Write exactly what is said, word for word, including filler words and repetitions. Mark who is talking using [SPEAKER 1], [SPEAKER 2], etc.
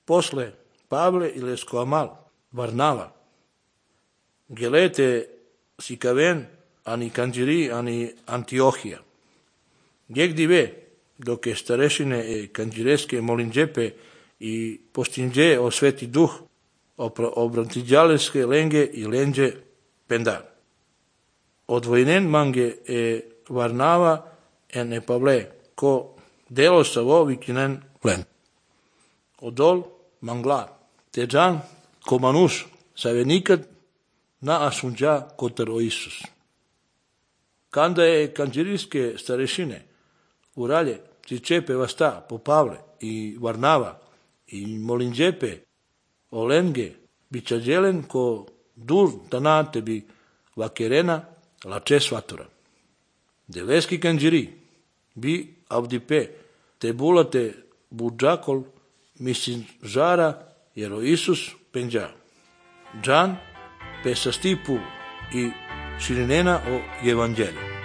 [SPEAKER 1] posle Pavle i lesko amal, Varnava. Gelete Sikaven, ani Kanđiri, ani Antiohija. Gdje ve, dok je starešine e kanđireske molinđepe i postinđe o sveti duh, obrantiđaleske lenge i lenđe pendar. Odvojnen mange e Varnava en e Pavle, ko delo savo vikinen len. Odol mangla, teđan ko manuš, save nikad na asunđa kotar o Isus. Kanda je kanđirijske starešine uralje cičepe vasta po Pavle i Varnava i molinđepe o lenge bićađelen ko dur tana tebi vakerena lače svatora. Deleski kanđiri bi avdipe te bulate budžakol mislim žara jer o Isus penđa. Džan pe sa stipu i širinena o evanđelju.